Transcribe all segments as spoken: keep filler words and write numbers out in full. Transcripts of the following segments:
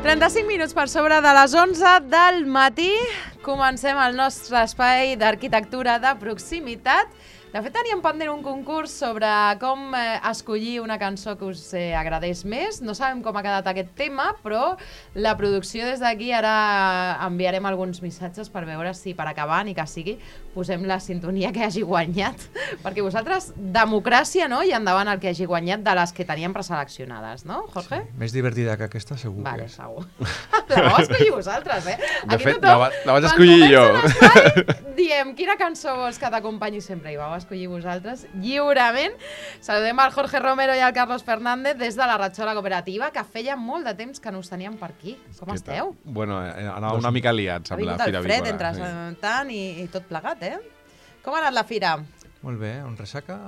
trenta-cinc minuts per sobre de les onze del matí. Comencem el nostre espai d'arquitectura de proximitat. De fet, teníem pendent un concurs sobre com eh, escollir una cançó que us eh, agradés més. No sabem com ha quedat aquest tema, però la producció des d'aquí ara enviarem alguns missatges per veure si per acabar, ni que sigui, posem la sintonia que hagi guanyat. Perquè vosaltres, democràcia, no? I endavant el que hagi guanyat de les que teníem preseleccionades, no, Jorge? Sí, més divertida que aquesta, segur. Vale, que és. segur. La vau escollir vosaltres, eh? De Aquí fet, tothom, la, va, la vaig escollir jo. l'espai, diem, quina cançó vols que t'acompanyi sempre? I vau escollir vosaltres lliurement. Saludem al Jorge Romero i al Carlos Fernández des de la Ratxola Cooperativa, que feia molt de temps que no us teníem per aquí. Com Què esteu? tal? Bueno, eh, anava una mica liats Ha amb la vingut el Fira fred Avícola. entre Sí. tant i, i tot plegat, eh? Com ha anat la fira? Molt bé, on ressaca...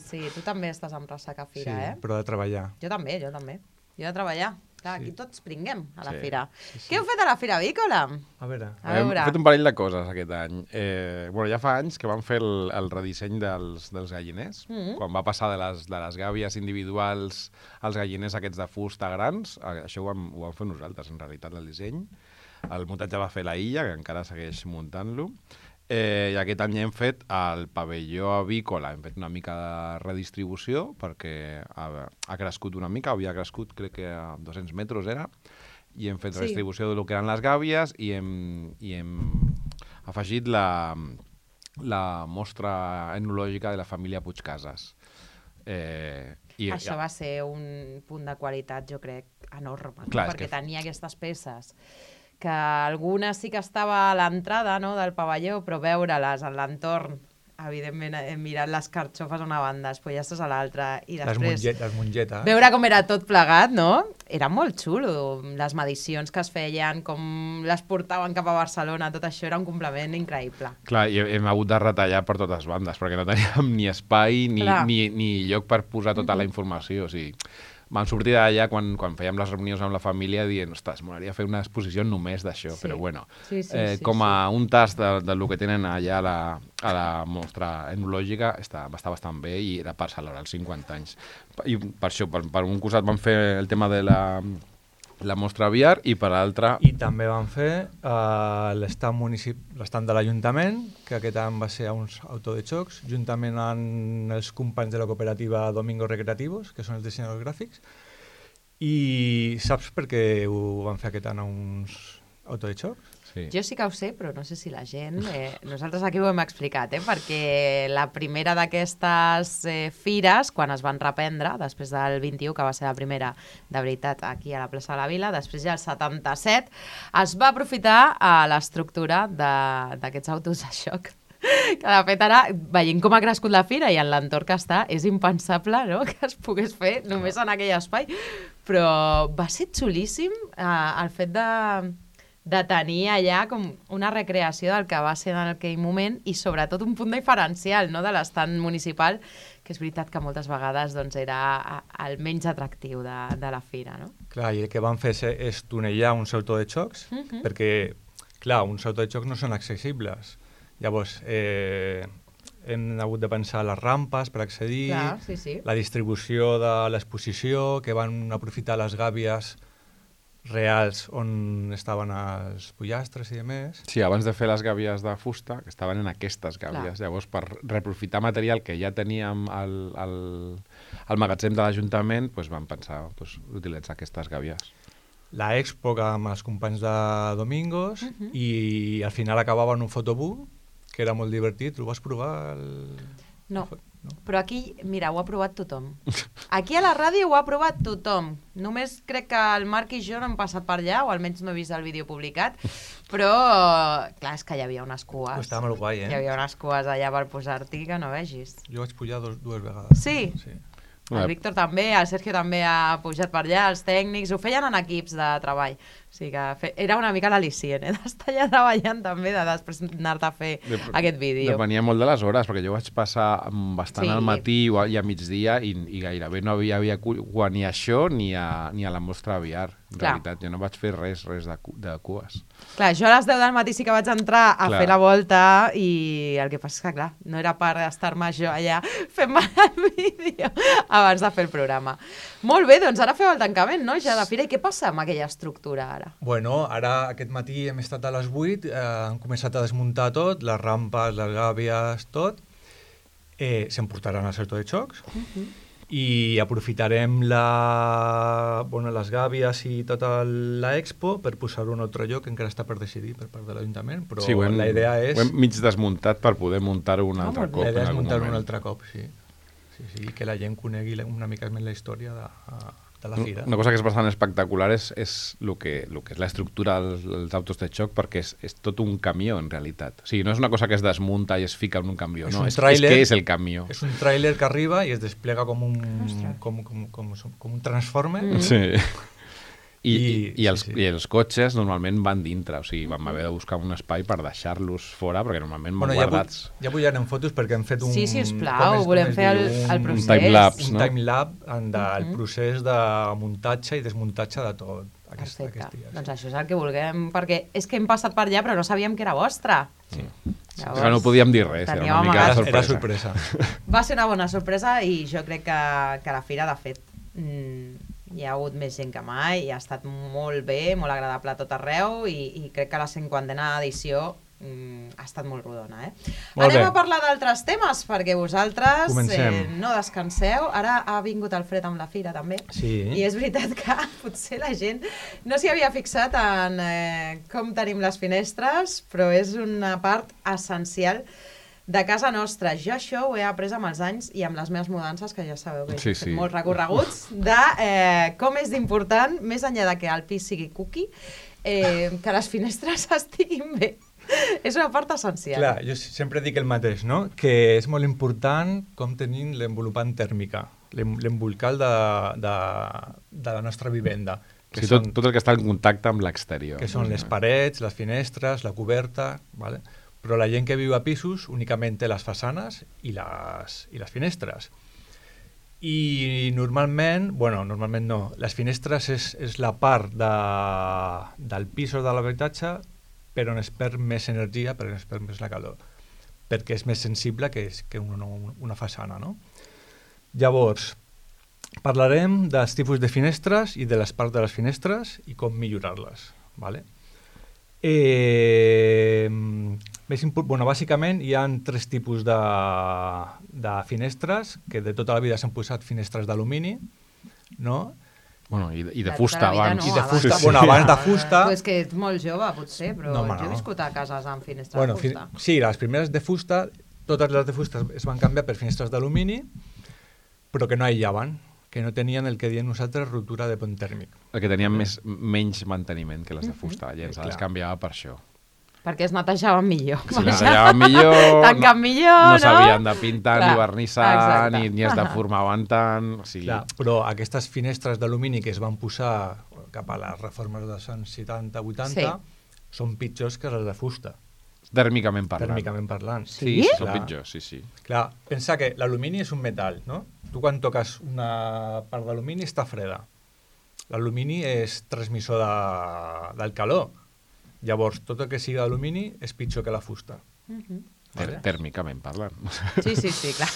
Sí, tu també estàs amb ressaca a fira, sí, eh? però de treballar. Jo també, jo també. Jo de treballar. Clar, Sí. aquí tots pringuem a la Sí, fira. sí, sí. Què heu fet a la Fira Avícola? A veure... A Hem veure. fet un parell de coses aquest any. Eh, bueno, ja fa anys que vam fer el, el redisseny dels, dels galliners. Mhm. Quan va passar de les, de les gàbies individuals als galliners aquests de fusta grans, eh, això ho vam, ho vam fer nosaltres, en realitat, el disseny. El muntatge va fer la Illa, que encara segueix muntant-lo. Eh, I aquest any hem fet el pavelló avícola, hem fet una mica de redistribució perquè ha, ha crescut una mica, havia crescut crec que a dos-cents metres era, i hem fet Sí. redistribució del que eren les gàbies i hem, i hem afegit la, la mostra etnològica de la família Puigcases. Eh, i, Això va ser un punt de qualitat, jo crec, enorme, Clar, no? és Perquè que- tenia aquestes peces que algunes sí que estava a l'entrada, no?, del pavelló, però veure-les en l'entorn, evidentment, hem mirat les carxofes a una banda, les pollastres a l'altra, i Les, després monget, les mongetes. veure com era tot plegat, no? Era molt xulo, les medicions que es feien, com les portaven cap a Barcelona, tot això era un complement increïble. Clar, i hem hagut de retallar per totes bandes, perquè no teníem ni espai ni, Clar. ni, ni lloc per posar tota la informació. O sigui, vam sortir d'allà quan, quan fèiem les reunions amb la família dient, ostres, m'agradaria fer una exposició només d'això, Sí. però bueno, Sí, sí, eh, sí, com a un tast de, de lo que tenen allà a la, a la mostra etnològica està, està bastant bé i era per celebrar els cinquanta anys. I per això, per, per un costat vam fer el tema de la, la mostra aviar i per l'altre... I també van fer uh, l'estat municip... l'estat de l'Ajuntament, que aquest any va ser a uns auto de xocs, juntament amb els companys de la cooperativa Domingos Recreativos, que són els dissenyadors gràfics. I saps per què ho van fer aquest any a uns auto de xocs? Sí. Jo sí que ho sé, però no sé si la gent... Eh, nosaltres aquí ho hem explicat, eh, perquè la primera d'aquestes eh, fires, quan es van reprendre, després del vint-i-u, que va ser la primera de veritat aquí a la plaça de la Vila, després ja el setanta-set, es va aprofitar a l'estructura de- d'aquests autos de xoc. Que de fet ara, veient com ha crescut la fira i en l'entorn que està, és impensable, no?, que es pogués fer només en aquell espai, però va ser xulíssim eh, el fet de, de tenir allà com una recreació del que va ser en aquell moment i sobretot un punt diferencial, no?, de l'estant municipal, que és veritat que moltes vegades doncs, era a- el menys atractiu de, de la fira, no? Clar, i el que van fer és, és tunellar uns auto de xocs, Mhm. perquè, clar, uns auto de xocs no són accessibles. Llavors, eh, hem hagut de pensar les rampes per accedir, Clar, sí, sí. la distribució de l'exposició, que van aprofitar les gàbies reals on estaven els pollastres i demés. Sí, abans de fer les gàbies de fusta, que estaven en aquestes gàbies. Clar. Llavors, per reaprofitar material que ja teníem al, al, al magatzem de l'Ajuntament, doncs vam pensar doncs, utilitzar aquestes gàbies. La expo amb els companys de Domingos Mhm. i al final acabava en un fotobook, que era molt divertit. Ho vas provar? El... No. no? Però aquí, mira, ho ha provat tothom. Aquí a la ràdio ho ha provat tothom. Només crec que el Marc i jo no hem passat per allà, o almenys no he vist el vídeo publicat, però, clar, és que hi havia unes cues. Estava molt guai, eh? Hi havia unes cues allà per posar-t'hi que no vegis. Jo vaig pujar dos, dues vegades. Sí? Sí. El Víctor també, el Sergio també ha pujat per allà, els tècnics, ho feien en equips de treball. O sigui que fe... era una mica l'al·licient, eh? D'estar allà treballant també, de després anar-te a fer Dep- aquest vídeo. Depenia molt de les hores, perquè jo vaig passar mm, bastant Sí. al matí o a- i a migdia i, i gairebé no havia, havia cu- ni a això ni a, ni a la mostra aviar. En Clar. realitat, jo no vaig fer res, res de, cu- de cues. Clar, jo a les deu del matí sí que vaig entrar a Clar. fer la volta i el que passa és que, clar, no era per estar-me jo allà fent-me el vídeo abans de fer el programa. Molt bé, doncs ara feu el tancament, no? Ja de fira. I què passa amb aquella estructura ara? Bueno, ara aquest matí hem estat a les vuit, eh, han començat a desmuntar tot, les rampes, les gàbies, tot. Eh, S'emportaran al sector de xocs. Uh-huh. I aprofitarem la, bueno, les gàbies i tota l'expo per posar-ho en un altre lloc que encara està per decidir per part de l'Ajuntament, però sí, hem, la idea és... Ho hem mig desmuntat per poder muntar-ho un altre Ah, cop. La idea és en algun muntar-ho moment. un altre cop, sí. Sí, sí, que la gent conegui una mica més la història de, de la fira. Una cosa que és bastant espectacular és, és el que, el que és l'estructura dels, dels autos de xoc, perquè és, és tot un camió, en realitat. O sigui, no és una cosa que es desmunta i es fica en un camió, És no, un és, tràiler, és que és el camió. És un tràiler que arriba i es desplega com un, com, com, com, com un transformer. Mm. Sí. I, i, I- i, els, sí, sí. I els cotxes normalment van dintre, o sigui, vam haver de buscar un espai per deixar-los fora, perquè normalment van Bueno, ja, guardats. pu- ja pujarem fotos perquè hem fet un... Sí, sisplau, com es- com volem es fer el- diu? el Un- procés. Un timelapse, Un no? timelapse en de, el procés de muntatge i desmuntatge de tot aquest, Perfecte. aquest dia. Doncs això és el que vulguem, perquè és que hem passat per allà però no sabíem que era vostre. Sí. Llavors, Però no podíem dir res, era teníeu una mica amagat. de Era, sorpresa. era sorpresa. Va ser una bona sorpresa i jo crec que, que la fira, de fet, mm, hi ha hagut més gent que mai i ha estat molt bé, molt agradable a tot arreu i, i crec que la cinquantena edició mm, ha estat molt rodona. Eh? Molt Anem bé. a parlar d'altres temes, perquè vosaltres Comencem. eh, no descanseu. Ara ha vingut el fred amb la fira, també. Sí. I és veritat que potser la gent no s'hi havia fixat en eh, com tenim les finestres, però és una part essencial de casa nostra. Jo això ho he après amb els anys i amb les meves mudances, que ja sabeu que Sí, he fet sí. molts recorreguts, de eh, com és d'important, més enllà de que el pis sigui cookie, eh, que les finestres estiguin bé. És una part essencial. Clar, jo sempre dic el mateix, no? Que és molt important com tenim l'envolupant tèrmica, l'em- l'embolcal de, de, de la nostra vivenda. O Que, sigui, són, tot, tot el que està en contacte amb l'exterior. que són les parets, les finestres, la coberta, ¿vale? Però la gent que viu a pisos únicament té les façanes i les, i les finestres. I normalment, bueno, normalment no, les finestres és, és la part de, del pis o de l'habitatge però on es perd més energia, però on es perd més la calor, perquè és més sensible que, és, que una, una façana, no? Llavors, parlarem dels tipus de finestres i de les parts de les finestres i com millorar-les, ¿vale? Eh, més import, bueno, bàsicament hi ha tres tipus de, de finestres, que de tota la vida s'han posat finestres d'alumini, no? Bueno, i, i de De fusta tota la vida abans. no, I de abans. fusta, Sí, bueno, sí. abans de fusta... Tu és que ets molt jove, potser, però No, home, jo he no. viscut a cases amb finestres Bueno, de fi- fusta. sí, les primeres de fusta, totes les de fusta es van canviar per finestres d'alumini, però que no aïllaven, que no tenien el que diem nosaltres ruptura de pont tèrmic. El que tenien més, menys manteniment que les de fusta. La gent se les Clar. canviava per això. Perquè es netejaven millor. Si les tallaven millor, Tanquen millor, no no? s'havien de pintar, Clar, ni vernissar, exacte. ni, ni es deformaven tant. O sigui, Clar, però aquestes finestres d'alumini que es van posar cap a les reformes dels anys setanta vuitanta Sí. són pitjors que les de fusta, tèrmicament parlant. tèrmicament parlant. Sí, Sí? sí, són Clar. pitjors, sí, sí. Clar, pensa que l'alumini és un metall, no? Tu quan toques una part d'alumini està freda. L'alumini és transmissor de, del calor. Llavors, tot el que sigui d'alumini és pitjor que la fusta. Mhm. Vale. Tèrmicament parlant. Sí, sí, sí, clar.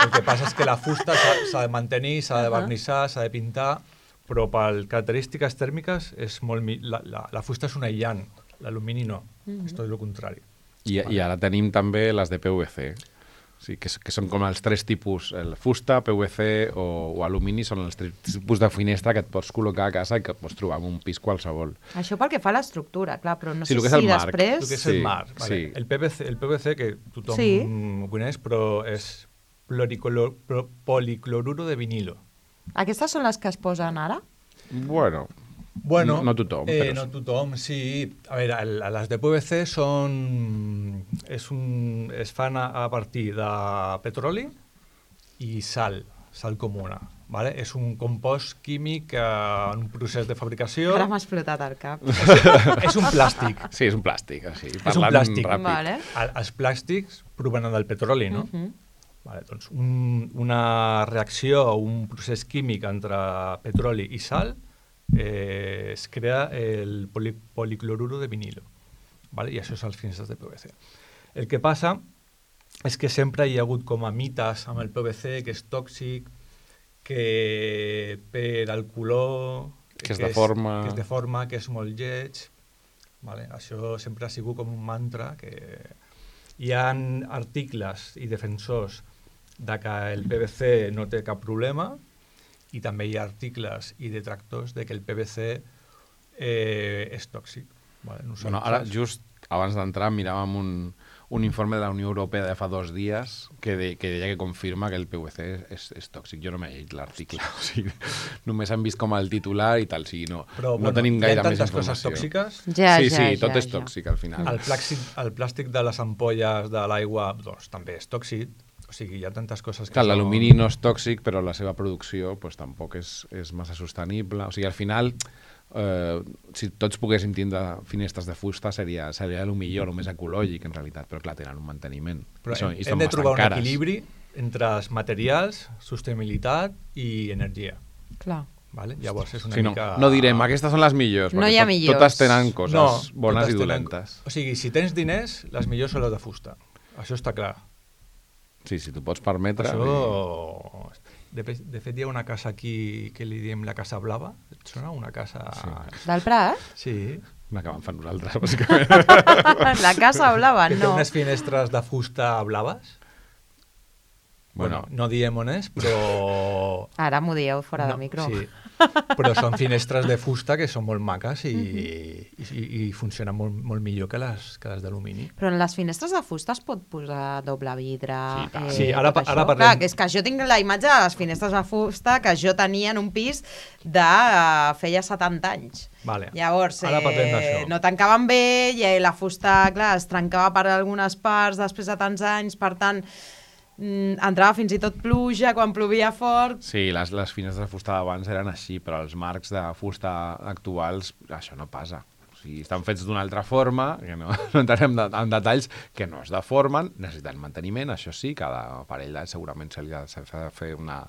El que passa és que la fusta s'ha s'ha de mantenir, s'ha de Ahà. vernissar, s'ha de pintar, però per característiques tèrmiques és molt mi- la, la, la fusta és un aïllant, l'alumini no, Mhm. és tot el contrari. I, I ara tenim també les de P V C. O sigui, que, s- que són com els tres tipus, el fusta, P V C o, o alumini, són els tres tipus de finestra que et pots col·locar a casa i que et pots trobar en un pis qualsevol. Això pel que fa a l'estructura, clar, però no Sí, sé el que és si el marc. després... El que és Sí, el mar, vale. sí. el, P V C, el P V C, que tothom Sí. ho coneix, però és pluricolo- pro- policloruro de vinilo. Aquestes són les que es posen ara? Bueno, Bueno, No- no tothom, Eh, però no sí. tothom, sí. A veure, el, les de P V C són... És un, es fan a, a partir de petroli i sal, sal comuna. Vale? És un compost químic eh, en un procés de fabricació. Ara m'ha explotat el cap. És un plàstic. sí, és un plàstic, així, un parlant plàstic. ràpid. Vale. El, els plàstics provenen del petroli, no? Mhm. Vale, doncs un, una reacció o un procés químic entre petroli i sal eh, es crea el poli, policloruro de vinilo, vale? I això són els finestres de P V C. El que passa és que sempre hi ha hagut com a mites amb el P V C, que és tòxic, que per al color... Que es deforma. Que es deforma, que és molt lleig. Vale? Això sempre ha sigut com un mantra. Que hi ha articles i defensors de que el P V C no té cap problema i també hi ha articles i detractors de que el P V C eh, és tòxic. Vale? Bueno, ara, just abans d'entrar, miràvem un, un informe de la Unió Europea de fa dos dies que, de, que deia que confirma que el P V C és, és tòxic. Jo no m'he llegit l'article. O sigui, només hem vist com el titular i tal. O sigui, no, Però, no bueno, tenim gaire més hi ha tantes informació. coses tòxiques. Ja, sí, ja, sí, tot ja, és ja. tòxic al final. El plàstic, el plàstic de les ampolles de l'aigua doncs, també és tòxic. O sigui, hi ha tantes coses que... Clar, són... l'alumini no és tòxic, però la seva producció pues, tampoc és, és massa sostenible. O sigui, al final, eh, si tots poguéssim tindre finestres de fusta, seria, seria el millor, el més ecològic, en realitat. Però, clar, tenen un manteniment. Però I són, hem, i hem són de trobar bastant un cares. equilibri entre els materials, sostenibilitat i energia. Clar. Vale? Llavors és una Sí, no, mica... no direm, aquestes són les millors, No perquè hi ha tot, millors. totes tenen coses no, bones totes i tenen- dolentes. O sigui, si tens diners, les millors són les de fusta. Això està clar. Sí, si t'ho pots permetre... Això... De, de fet, hi ha una casa aquí que li diem la Casa Blava. Et sona? Una casa... Sí. Del Prat? Sí. Una que vam fer nosaltres, bàsicament. La Casa Blava, Que té no. unes finestres de fusta blaves. Bueno, Bueno, no diem on és, però... Ara m'ho dieu fora no, de micro. Sí, però són finestres de fusta que són molt maques i, i, i, i funcionen molt, molt millor que les, que les d'alumini. Però en les finestres de fusta es pot posar doble vidre... Sí, tant. Sí, ara tot pa- ara això? parlem- Clar, que és que jo tinc la imatge de les finestres de fusta que jo tenia en un pis de uh, feia setanta anys. Vale. Llavors, Ara parlem eh, d'això. no tancaven bé i eh, la fusta, clar, es trencava per algunes parts després de tants anys, per tant, mm, entrava fins i tot pluja quan plovia fort. sí, les, les finestres de fusta d'abans eren així, però els marcs de fusta actuals, això no passa. O sigui, estan fets d'una altra forma, que no, no entrarem de, en detalls, que no es deformen, necessiten manteniment, això sí, cada parell d'anys segurament se li ha s'ha de fer una,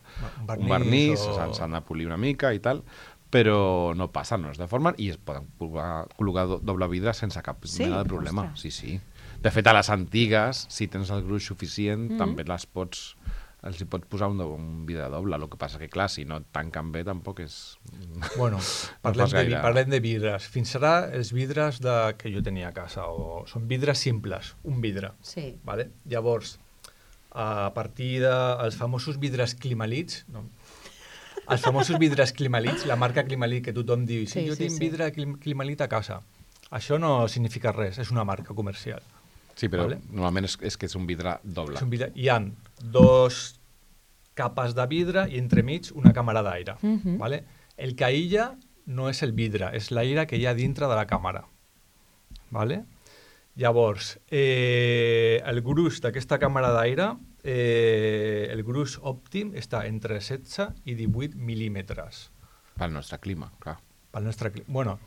Un un vernís, o- s'han s'han de polir una mica i tal, però no passa, no es deformen i es poden col·locar, col·locar do- doble vidre sense cap Sí? mena de problema. Ostres. Sí, sí. De fet, a les antigues, si tens el gruix suficient, Mm. també les pots, els hi pots posar un, do- un vidre doble. El que passa que, clar, si no et tanquen bé, tampoc és... Bueno, parlem, fas de, vi- gaire. parlem de vidres. Fins ara, els vidres de, que jo tenia a casa o, són vidres simples, un vidre. Sí. Vale? Llavors, a partir dels famosos vidres Climalits, no, els famosos vidres Climalits, la marca Climalit que tothom diu, sí, Sí, jo sí, tinc sí. vidre Clim- Climalit a casa. Això no significa res, és una marca comercial. Sí, però Vale. normalment és, és que és un vidre doble. És un vidre, hi ha dos capes de vidre i entremig una càmera d'aire. Mhm. Vale? El que aïlla no és el vidre, és l'aire que hi ha dintre de la càmera. Vale? Llavors, eh, el gruix d'aquesta càmera d'aire, eh, el gruix òptim està entre setze i divuit mil·límetres. Pel nostre clima, clar. Pel nostre cli- Bueno,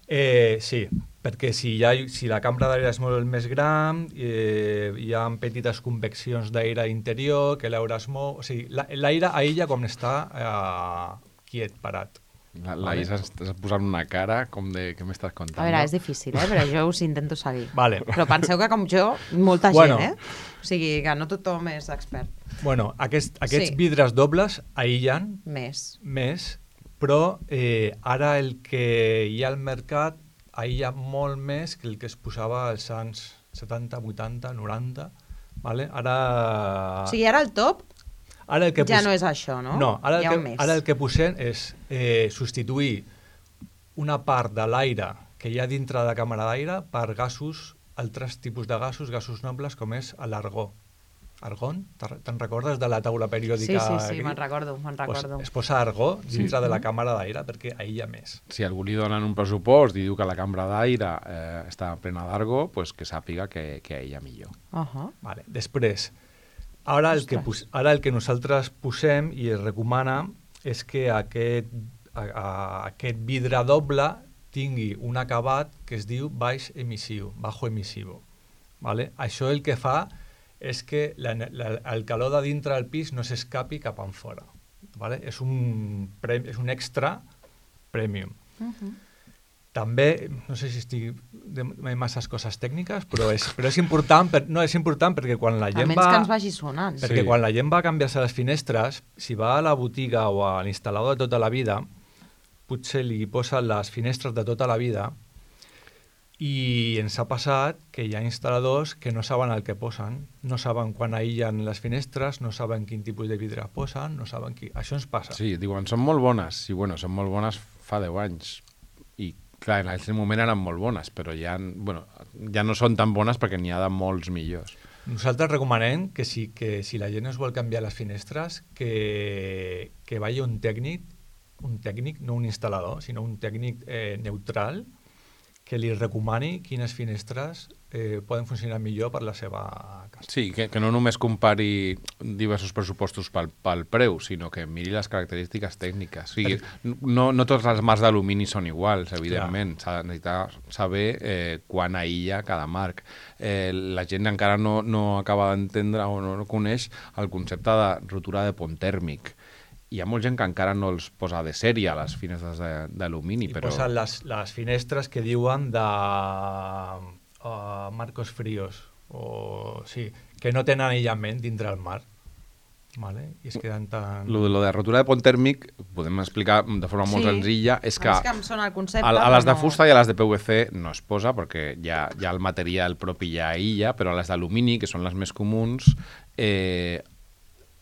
eh, sí, perquè si, hi ha, si la cambra d'aire és molt més gran, eh, hi ha petites conveccions d'aire interior, que l'aire es mou... O sigui, la- l'aire aïlla com està eh, quiet, parat. La, la Vale. Isa està posant una cara com de... Què m'estàs contant? A veure, és difícil, eh? Però jo us intento seguir. Vale. Però penseu que com jo, molta Bueno. gent, eh? O sigui, que no tothom és expert. Bueno, aquest, aquests Sí. vidres dobles aïllen Més. més, però eh, ara el que hi ha al mercat aïlla molt més que el que es posava als anys setanta, vuitanta, noranta. Vale? Ara, O sigui, ara el top ara el que ja pos- no és això, no? No, ara Hi el, ha que, un més. ara el que posem és eh, substituir una part de l'aire que hi ha dintre de la càmera d'aire per gasos, altres tipus de gasos, gasos nobles, com és l'argó. Argon? Te'n te'n recordes de la taula Sí, periòdica? sí, sí, gris? me'n recordo, me'n recordo. Pues es posa argó dintre Sí. de la càmera d'aire perquè aïlla més. Si algú li donen un pressupost i diu que la cambra d'aire eh, està plena d'argó, pues que sàpiga que, que ella millor. Uh -huh. Vale. Després, ara el, que Ostres. pos, ara el que nosaltres posem i es recomana és que aquest, a, a, aquest vidre doble tingui un acabat que es diu baix emissiu, bajo emissivo. Vale? Això el que fa és que la, la, el calor de dintre del pis no s'escapi cap enfora. Vale? És, un, pre- és un extra premium. Uh -huh. També, no sé si estic de masses coses tècniques, però és, però és important, per, no, és important perquè quan la gent Almenys va... que ens vagi sonant. Perquè Sí. quan la gent va canviar-se les finestres, si va a la botiga o a l'instal·lador de tota la vida, potser li posen les finestres de tota la vida i ens ha passat que hi ha instal·ladors que no saben el que posen, no saben quan aïllen les finestres, no saben quin tipus de vidre posen, no saben qui... Això ens passa. Sí, diuen, són molt bones. I bueno, són molt bones fa deu anys. I clar, en aquell moment eren molt bones, però ja, bueno, ja no són tan bones perquè n'hi ha de molts millors. Nosaltres recomanem que si, que si la gent es vol canviar les finestres, que, que vagi un tècnic, un tècnic, no un instal·lador, sinó un tècnic eh, neutral, que li recomani quines finestres eh, poden funcionar millor per la seva casa. Sí, que, que no només compari diversos pressupostos pel, pel preu, sinó que miri les característiques tècniques. O sigui, no, no tots els marcs d'alumini són iguals, evidentment. S'ha de necessitar saber eh, quan aïlla cada marc. Eh, la gent encara no, no acaba d'entendre o no, no coneix el concepte de rotura de pont tèrmic. Hi ha molta gent que encara no els posa de sèrie a les finestres d'alumini, I però... posen les, les finestres que diuen de uh, marcos fríos, o sí, que no tenen aïllament dintre el mar. Vale? I es queden tan... Lo de, lo de rotura de pont tèrmic, podem explicar de forma molt Sí. senzilla, és que, És que em sona el concepte, a, a les de però no- fusta i a les de P V C no es posa perquè ja, ja el material propi ja aïlla, però a les d'alumini, que són les més comuns, eh,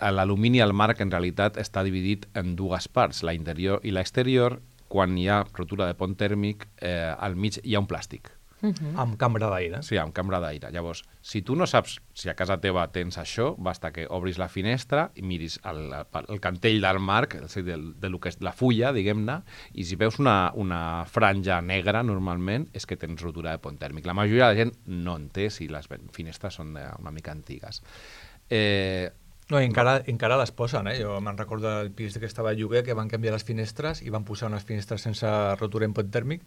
l'alumini al marc en realitat està dividit en dues parts, la interior i l'exterior. Quan hi ha rotura de pont tèrmic, eh, al mig hi ha un plàstic. Mhm. amb cambra d'aire. Sí, amb cambra d'aire. Llavors, si tu no saps si a casa teva tens això, basta que obris la finestra i miris el, el cantell del marc, és a dir, del, de lo que és la fulla, diguem-ne, i si veus una, una franja negra, normalment, és que tens rotura de pont tèrmic. La majoria de la gent no en té si les finestres són una mica antigues. Eh, No, i encara, encara les posen, eh? Jo me'n recordo del pis que estava a lloguer que van canviar les finestres i van posar unes finestres sense rotura en pont tèrmic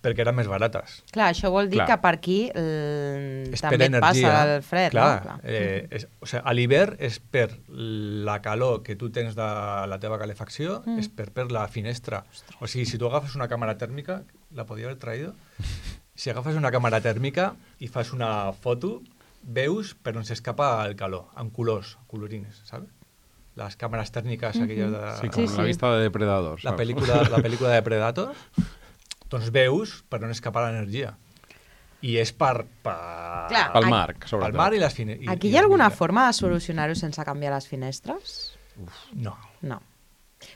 perquè eren més barates. Clar, això vol dir Clar. que per aquí eh, És també per et passa energia. el fred. Clar, no? Clar. eh, és, o sigui, a l'hivern és per la calor que tu tens de la teva calefacció, Mm. és per, per la finestra. O sigui, si tu agafes una càmera tèrmica, la podia haver traído, si agafes una càmera tèrmica i fas una foto, veus per on s'escapa el calor, amb colors, colorines, saps? Les càmeres tèrmiques Mhm. aquelles de... sí, com Sí, la sí. vista de Depredadors. la saps? pel·lícula, la pel·lícula de Predator, doncs veus per on escapa l'energia. I és per... per... Clar, Pel Ai. marc, sobretot. Pel mar i les finestres. Aquí hi ha alguna forma de solucionar-ho sense canviar les finestres? No. No.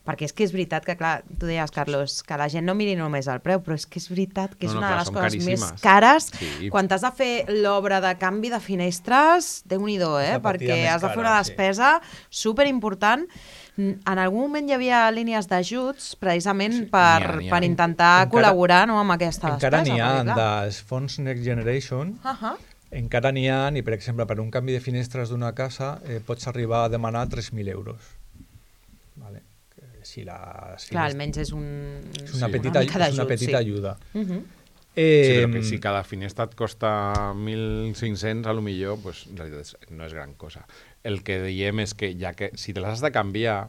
Perquè és que és veritat que, clar, tu deies, Carlos, que la gent no miri només el preu, però és que és veritat que és No, no, una clar, de les són coses més caríssimes. cares. Sí. Quan t'has de fer l'obra de canvi de finestres, déu-n'hi-do, eh? És la partida Perquè més has de fer cara, una sí. despesa superimportant. En algun moment hi havia línies d'ajuts precisament Sí, per, n'hi ha, n'hi ha. per intentar Encara- col·laborar no, amb aquesta Encara despesa. n'hi ha perquè, clar. dels fons Next Generation, Uh -huh. encara n'hi ha, i per exemple, per un canvi de finestres d'una casa eh, pots arribar a demanar tres mil euros. Vale. Que si les Clar, finestres... almenys és, un, És una Sí. petita, mica és una d'ajut, petita sí. ajuda. Uh -huh. Eh, Sí, però que si cada finestra et costa mil cinc-cents, a lo millor, pues, en realitat és- no és gran cosa. El que diem és que ja que si te les has de canviar,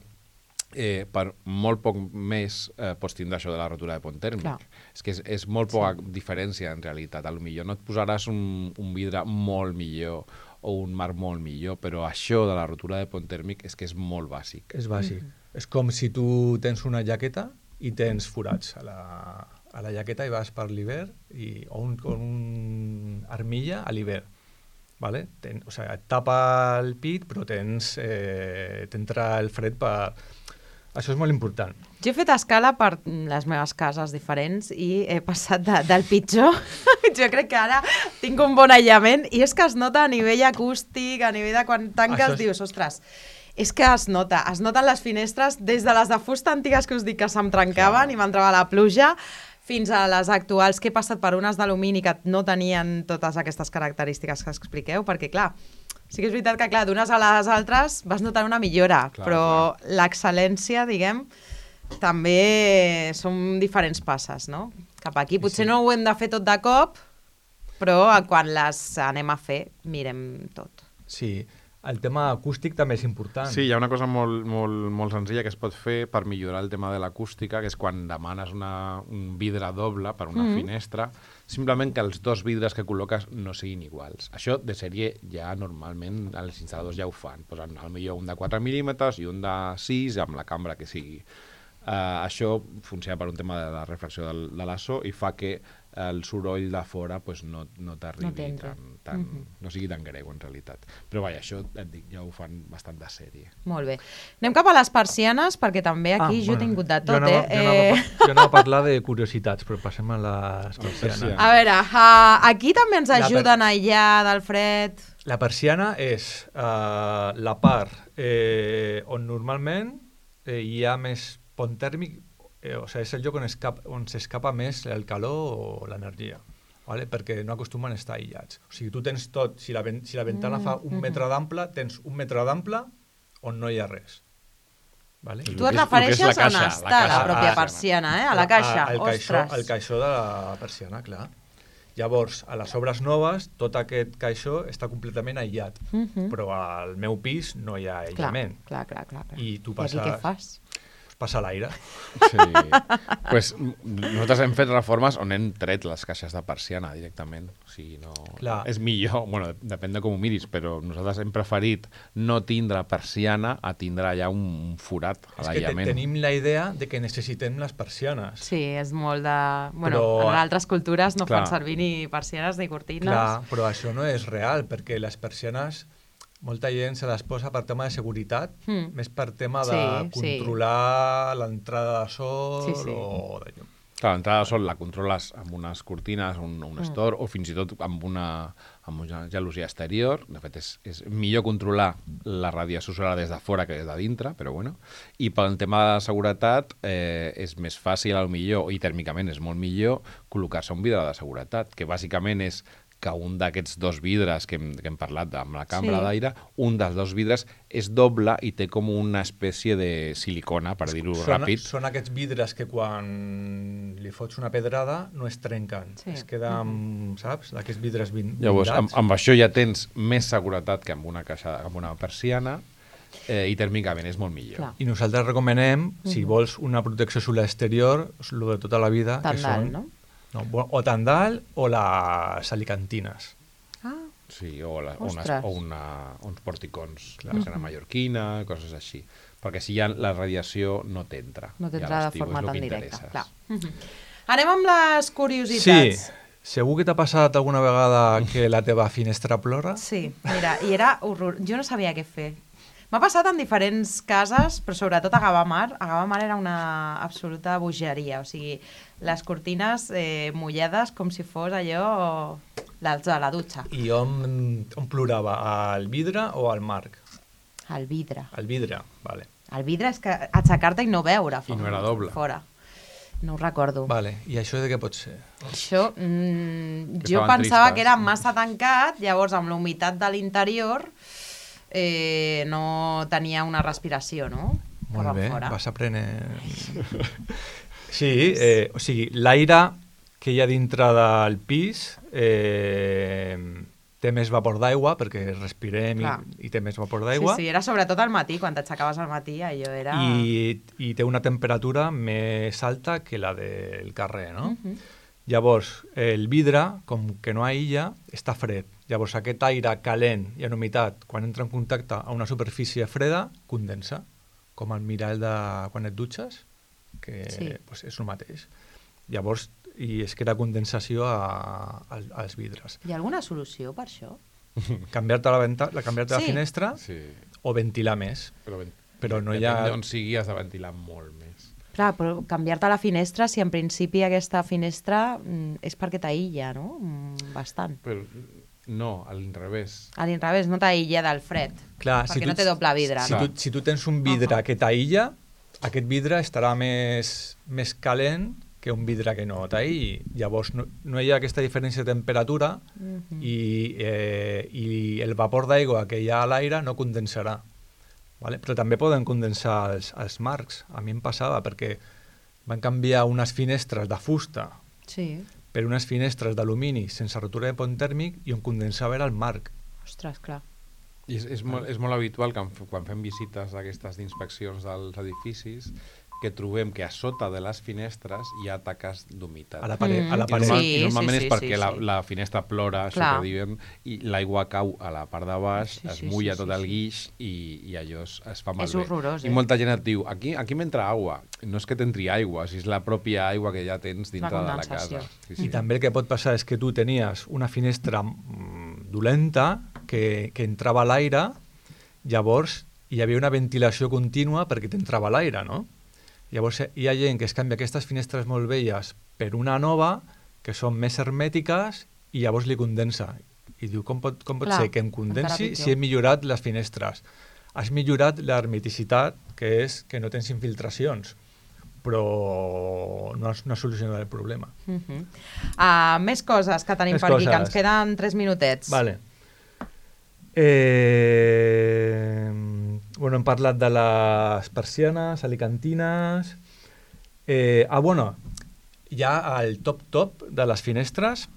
eh, per molt poc més eh, pots tindre això de la rotura de pont tèrmic. Clar. És que és, és molt poca diferència, en realitat. A lo millor no et posaràs un, un vidre molt millor o un marc molt millor, però això de la rotura de pont tèrmic és que és molt bàsic. És bàsic. És com si tu tens una jaqueta i tens forats a la, a la jaqueta i vas per l'hivern i, o un, con un armilla a l'hivern. Vale? Ten, o sigui, et tapa el pit però tens eh, t'entra el fred per... Això és molt important. Jo he fet escala per les meves cases diferents i he passat de, del pitjor. Jo crec que ara tinc un bon aïllament i és que es nota a nivell acústic, a nivell de quan tanques, Això és- dius, ostres, és que es nota, es noten les finestres des de les de fusta antigues que us dic que se'm trencaven i m'entrava la pluja, fins a les actuals que he passat per unes d'alumini que no tenien totes aquestes característiques que expliqueu, perquè clar, sí que és veritat que clar, d'unes a les altres vas notant una millora, Clar, però l'excel·lència, diguem, també són diferents passes, no? Cap aquí potser sí. no ho hem de fer tot de cop, però quan les anem a fer, mirem tot. Sí. el tema acústic també és important. Sí, hi ha una cosa molt, molt, molt senzilla que es pot fer per millorar el tema de l'acústica, que és quan demanes una, un vidre doble per una mm-hmm. finestra, simplement que els dos vidres que col·loques no siguin iguals. Això de sèrie ja normalment els instal·ladors ja ho fan. Posen potser un de quatre mil·límetres i un de sis amb la cambra que sigui. Uh, això funciona per un tema de la refracció del, de la so i fa que el soroll de fora pues, no, no t'arribi no tan, tan, mm-hmm. no sigui tan greu en realitat. Però vaja, això et dic, ja ho fan bastant de sèrie. Molt bé. Anem cap a les persianes, perquè també aquí ah, jo bueno, he tingut de tot. Jo anava, eh? jo, anava, jo anava a parlar de curiositats, però passem a les persianes. A veure, uh, aquí també ens ajuden per... a aïllar del fred. La persiana és uh, la part eh, on normalment eh, hi ha més pont tèrmic, eh, o sigui, és el lloc on, escap, on s'escapa més el calor o l'energia, ¿vale? Perquè no acostumen a estar aïllats. O sigui, tu tens tot, si la, si la ventana mm, fa un mm-hmm. metre d'ample, tens un metre d'ample on no hi ha res. Vale? Tu et refereixes a on està la, la pròpia persiana, eh? A la caixa, el ostres. Caixó, el caixó de la persiana, clar. Llavors, a les obres noves, tot aquest caixó està completament aïllat, mm-hmm. però al meu pis no hi ha aïllament. Clar, clar, clar. clar. I tu passes... I què fas? Passa l'aire. Sí. Pues, nosaltres hem fet reformes on hem tret les caixes de persiana directament. O sigui, no... Clar. És millor, bueno, depèn de com ho miris, però nosaltres hem preferit no tindre persiana a tindre allà un forat a l'aïllament. És que te tenim la idea de que necessitem les persianes. Sí, és molt de... Bueno, però... en altres cultures no clar. Fan servir ni persianes ni cortines. Clar, però això no és real, perquè les persianes... Molta gent se les posa per tema de seguretat, mm. més per tema de sí, controlar sí. l'entrada de sol sí, sí. o de llum. Clar, l'entrada de sol la controles amb unes cortines, un, un mm. store, o fins i tot amb una, amb una gelosia exterior. De fet, és, és millor controlar la radiació solar des de fora que des de dintre, però bueno. I pel tema de seguretat eh, és més fàcil, al millor, i tèrmicament és molt millor, col·locar-se un vidre de seguretat, que bàsicament és que un d'aquests dos vidres que hem, que hem parlat amb la cambra sí. d'aire, un dels dos vidres és doble i té com una espècie de silicona, per dir-ho ràpid. Són aquests vidres que quan li fots una pedrada no es trenquen, sí. es queda amb, saps, d'aquests vidres blindats. Llavors, amb, amb això ja tens més seguretat que amb una caixa, amb una persiana, eh, i tèrmicament és molt millor. Clar. I nosaltres recomanem, si mm-hmm. vols una protecció solar exterior, el de tota la vida, Tandal, que són... no? No, o tandal o les alicantines. Ah. Sí, o, la, unes, o una, uns porticons, la persiana mallorquina, coses així. Perquè si ja la radiació no t'entra. No t'entra de forma tan directa. Clar. Mm-hmm. Anem amb les curiositats. Sí. Segur que t'ha passat alguna vegada que la teva finestra plora? Sí, mira, i era horror. Jo no sabia què fer. M'ha passat en diferents cases, però sobretot a Gavamar. A Gavamar era una absoluta bogeria, o sigui, les cortines eh, mullades com si fos allò de la dutxa. I on, on plorava? Al vidre o al marc? Al vidre. Al vidre, vale. El vidre és que aixecar-te i no veure I no era doble. Fora. No ho recordo. Vale. I això de què pot ser? Això, mm, jo pensava tristes. Que era massa tancat, llavors amb la humitat de l'interior eh, no tenia una respiració, no? Molt bé, fora. Vas aprenent... Sí, eh, o sigui, l'aire que hi ha dintre del pis eh, té més vapor d'aigua, perquè respirem i, i té més vapor d'aigua. Sí, sí, era sobretot al matí, quan t'aixecaves al matí, allò era... I, I té una temperatura més alta que la del carrer, no? Uh-huh. Llavors, el vidre, com que no aïlla, està fred. Llavors, aquest aire calent i en humitat, quan entra en contacte a una superfície freda, condensa, com el mirall de quan et dutxes, que sí. Pues, és el mateix. Llavors, i es crea condensació a, a, als vidres. Hi ha alguna solució per això? Canviar-te la, venta, la, canviar-te sí. la finestra sí. o ventilar més. Però, però no hi ha... Depèn d'on sigui, has de ventilar molt més. Clar, però canviar-te la finestra, si en principi aquesta finestra mm, és perquè t'aïlla, no? Mm, bastant. Però no, a l'inrevés. A l'inrevés, no t'aïlla del fred. Clar, perquè si tu, no té doble vidre. Si, no? tu, si tu tens un vidre uh-huh. que t'aïlla, aquest vidre estarà més, més calent que un vidre que no t'aïlli. Llavors no, no hi ha aquesta diferència de temperatura uh-huh. i, eh, i el vapor d'aigua que hi ha a l'aire no condensarà. Vale? Però també poden condensar els, els marcs. A mi em passava perquè van canviar unes finestres de fusta sí. per unes finestres d'alumini sense rotura de pont tèrmic i on condensava era el marc. Ostres, clar. I és, és, molt, és molt habitual que quan fem visites d'aquestes d'inspeccions dels edificis que trobem que a sota de les finestres hi ha taques d'humitat. A la paret. Mm. A la paret. I, normal, Sí, I normalment sí, és sí, perquè sí, la, sí. la finestra plora, això Clar. que diuen, i l'aigua cau a la part de baix, Sí, es sí, mulla sí, tot sí, el sí. guix i, i allò es, es fa malbé. És horrorós, eh? I molta gent et diu, aquí, aquí m'entra aigua. No és que t'entri aigua, si és la pròpia aigua que ja tens dintre de la condensació. casa. Sí, I també el que pot passar és que tu tenies una finestra mm, dolenta que, que entrava l'aire, llavors hi havia una ventilació contínua perquè t'entrava l'aire, no? Llavors hi ha gent que es canvia aquestes finestres molt velles per una nova, que són més hermètiques, i llavors li condensa. I diu, com pot, com pot Clar, ser que em encara condensi pitjor. si he millorat les finestres? Has millorat l'hermeticitat, que és que no tens infiltracions, però no has, no has solucionat el problema. Uh -huh. uh, més coses que tenim Més per aquí, que coses. ens queden tres minutets. Vale. Eh, bueno, hem parlat de les persianes, alicantines... Eh, ah, bueno, hi ha el top-top de les finestres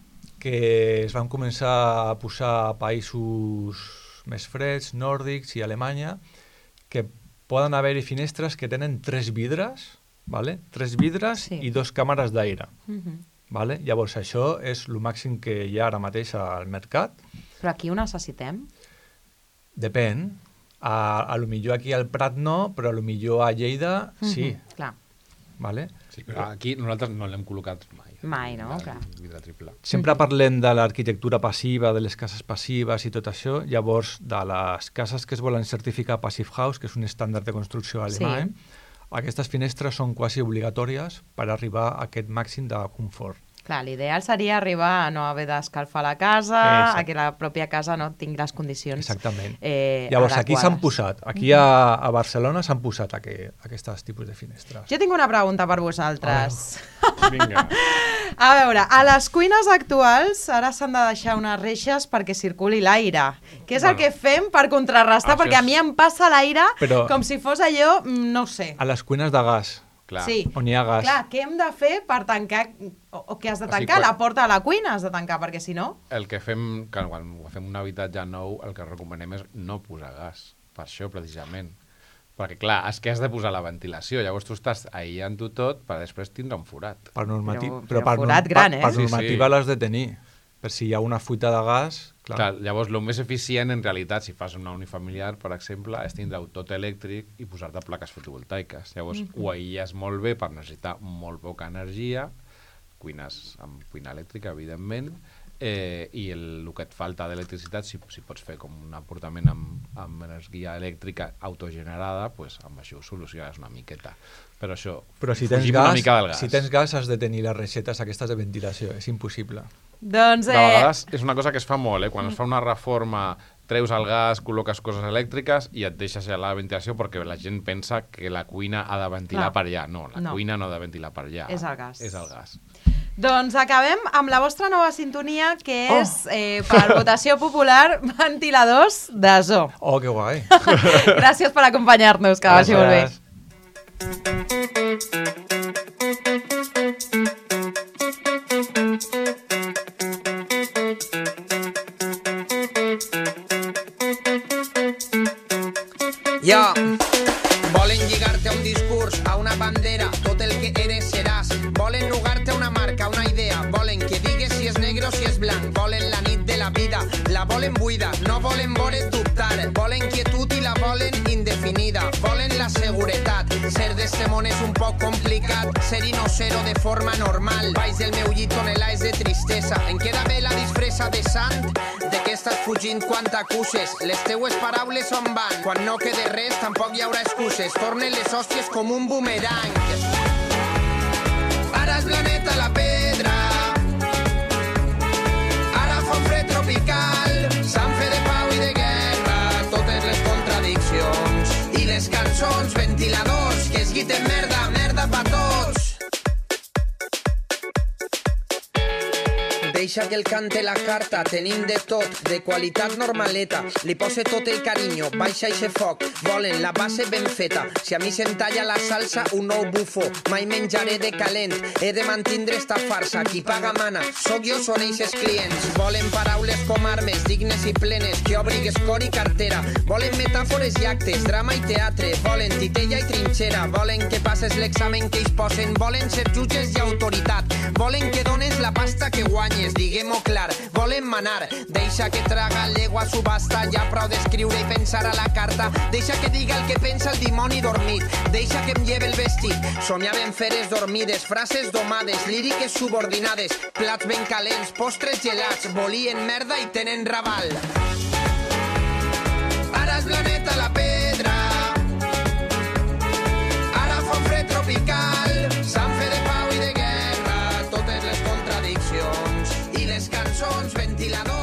que es van començar a posar a països més freds, nòrdics i Alemanya, que poden haver-hi finestres que tenen tres vidres, vale? tres vidres Sí. i dos càmeres d'aire. Uh -huh. Vale? Llavors, això és el màxim que hi ha ara mateix al mercat. Però aquí ho necessitem? Depèn. A, a lo millor aquí al Prat no, però a lo millor a Lleida sí. Uh -huh. Clar. Vale? Sí, però aquí nosaltres no l'hem col·locat mai. Mai, no? El Clar. vidre triple. Sempre parlem de l'arquitectura passiva, de les cases passives i tot això. Llavors, de les cases que es volen certificar Passive House, que és un estàndard de construcció alemany, Sí. aquestes finestres són quasi obligatòries per arribar a aquest màxim de confort. Clar, l'ideal seria arribar a no haver d'escalfar la casa, Exacte. a que la pròpia casa no tingui les condicions Exactament. eh, Llavors, aquí s'han adequades. posat, aquí a, a Barcelona s'han posat aqu aquests tipus de finestres. Jo tinc una pregunta per vosaltres. Vinga. A veure, a les cuines actuals ara s'han de deixar unes reixes perquè circuli l'aire. Què és el Bueno. que fem per contrarrestar? Això Perquè a és- mi em passa l'aire Però- com si fos allò, mm, no ho sé. A les cuines de gas, Clar. Sí. on hi ha gas. Clar, què hem de fer per tancar, o, o què has de O sigui, tancar? quan- La porta de la cuina has de tancar, perquè si no... El que fem, que quan fem un habitatge nou, el que recomanem és no posar gas. Per això, precisament. Perquè, clar, és que has de posar la ventilació. Llavors tu estàs aïllant-ho tot per després tindre un forat. Per normati... Però- però, però per, forat per, gran, eh? per Sí, sí. normativa l'has de tenir. Per si hi ha una fuita de gas... Clar. Clar, llavors, el més eficient, en realitat, si fas una unifamiliar, per exemple, és tindre-ho tot elèctric i posar-te plaques fotovoltaiques. Llavors, mm -hmm. ho aïlles molt bé per necessitar molt poca energia, cuines amb cuina elèctrica, evidentment, eh, i el, el que et falta d'electricitat, si, si pots fer com un aportament amb, amb energia elèctrica autogenerada, pues, amb això ho soluciones una miqueta. Però això, Però si tens, fugim una gas, mica del gas. si tens gas has de tenir les reixetes aquestes de ventilació, és impossible. Doncs, De eh, vegades és una cosa que es fa molt, eh? Quan es fa una reforma, treus el gas, col·loques coses elèctriques i et deixes allà la ventilació perquè la gent pensa que la cuina ha de ventilar Clar. per allà. No, la No. cuina no ha de ventilar per allà. És el gas. És el gas. doncs acabem amb la vostra nova sintonia, que Oh. és, eh, per votació popular, ventiladors de zoo. Oh, que guai. Gràcies per acompanyar-nos, que vagi molt bé. Gràcies. Jo, volen lligar-te a un discurs, a una bandera, tot el que eres seràs. Volen nugar-te a una marca, una idea. Volen que digues si és negre o si és blanc. Volen la nit de la vida, la volen buida. No volen veure't dubtar. Volen quietud i la volen indefinida. Volen la seguretat. Ser d'este món és un poc complicat. Ser i no ser-ho de forma normal. Baix del meu llit tonelades de tristesa. Em queda bé la disfressa de sant. De què estàs fugint quan t'acuses? Les teues paraules on van? Quan no quede res tampoc hi haurà excuses. Tornen les hòsties com un boomerang. Ara és planeta la pedra. Ara fa un fred tropical. Sant fe de pau i de guerra. Totes les contradiccions. I les cançons, ventiladors, que es guiten merda, merda pa tots. deixa que el cante la carta, tenim de tot, de qualitat normaleta, li pose tot el carinyo, baixa eixe foc, volen la base ben feta, si a mi se'm talla la salsa, un nou bufo, mai menjaré de calent, he de mantindre esta farsa, qui paga mana, sóc jo, són eixes clients, volen paraules com armes, dignes i plenes, que obrigues cor i cartera, volen metàfores i actes, drama i teatre, volen titella i trinxera, volen que passes l'examen que ells posen, volen ser jutges i autoritat, volen que dones la pasta que guanyes, diguem-ho clar, volen manar, deixa que traga llegua subhasta, ja prou d'escriure i pensar a la carta, deixa que diga el que pensa el dimoni dormit, deixa que em lleve el vestit, somiaven feres dormides, frases domades, líriques subordinades, plats ben calents, postres gelats, volien merda i tenen raval. Ara és planeta la pedra, ara fa un fred tropical, sant fe de pau i de guerra, totes les contradiccions i les cançons ventiladors.